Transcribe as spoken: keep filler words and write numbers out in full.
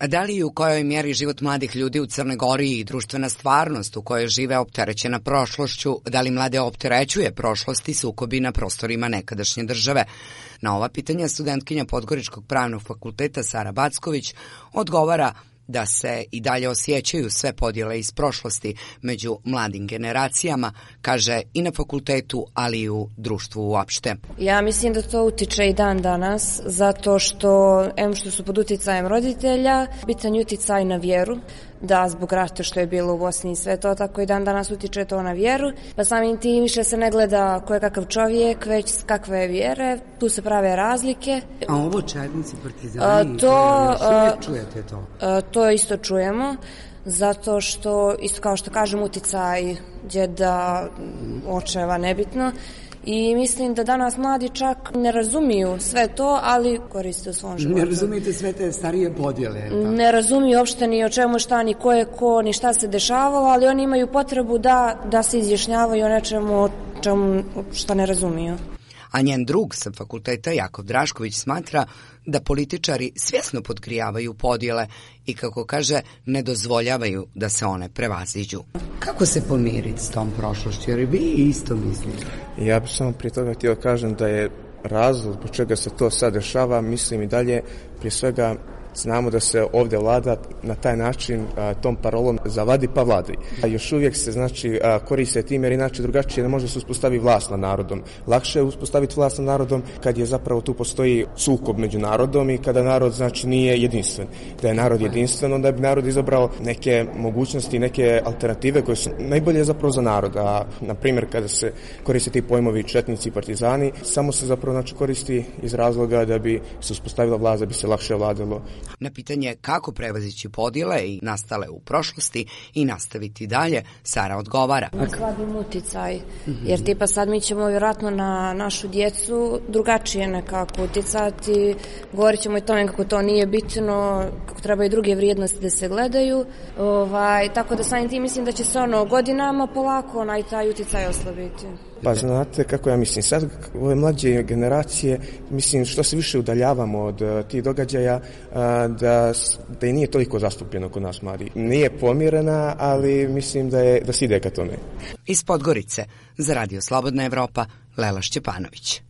Da li i u kojoj mjeri život mladih ljudi u Crnoj Gori i društvena stvarnost u kojoj žive opterećena prošlošću, da li mlade opterećuje prošlost i sukobi na prostorima nekadašnje države? Na ova pitanja studentkinja Podgoričkog pravnog fakulteta Sara Backović odgovara da se i dalje osjećaju sve podjele iz prošlosti među mladim generacijama, kaže i na fakultetu, ali i u društvu uopšte. Ja mislim da to utiče i dan danas, zato što, em što su pod uticajem roditelja, bitan je uticaj na vjeru, da zbog rata što je bilo u Bosni i sve to, tako i dan danas utiče to na vjeru, pa samim tim više se ne gleda ko je kakav čovjek, već kakve vjere, tu se prave razlike. A ovo četnici, partizani, a, to, a, čujete to? A, to isto čujemo, zato što, isto kao što kažem, uticaj djeda, očeva, nebitno. I mislim da danas mladi čak ne razumiju sve to, ali koriste u svom životu. Ne razumijete sve te starije podjele? Ne razumiju uopšte ni o čemu šta, ni ko je ko, ni šta se dešavalo, ali oni imaju potrebu da, da se izjašnjavaju o nečemu čemu šta ne razumiju. A njen drug sa fakulteta Jakov Drašković smatra da političari svjesno podgrijavaju podjele i, kako kaže, ne dozvoljavaju da se one prevaziđu. Kako se pomiriti s tom prošlošću? Jer vi isto mislite. Ja bih samo prije toga htio kažem da je razlog zbog čega se to sad dešava, mislim i dalje, prije svega znamo da se ovdje vlada na taj način a, tom parolom zavadi pa vladaj. A još uvijek se znači a, koriste tim jer inače drugačije ne može se uspostaviti vlast nad narodom. Lakše je uspostaviti vlast nad narodom kad je zapravo tu postoji sukob među narodom i kada narod znači nije jedinstven. Da je narod jedinstven, onda bi narod izabrao neke mogućnosti, neke alternative koje su najbolje zapravo za narod. A na primjer kada se koriste ti pojmovi četnici i partizani, samo se zapravo znači koristi iz razloga da bi se uspostavila vlast, da bi se lakše vladalo. Na pitanje kako prevazići podjele i nastale u prošlosti i nastaviti dalje, Sara odgovara. Slabim uticaj, jer tipa sad mi ćemo vjerojatno na našu djecu drugačije nekako uticati, govorit ćemo i tome kako to nije bitno, kako trebaju druge vrijednosti da se gledaju, ovaj, tako da samim tim mislim da će se ono godinama polako onaj taj uticaj oslabiti. Pa znate kako ja mislim, sad ove mlađe generacije, mislim što se više udaljavamo od uh, tih događaja, uh, da, da i nije toliko zastupljeno kod nas mladi. Nije pomirena, ali mislim da, je, da se ide ka tome. Iz Podgorice, za Radio Slobodna Evropa, Lela Šćepanović.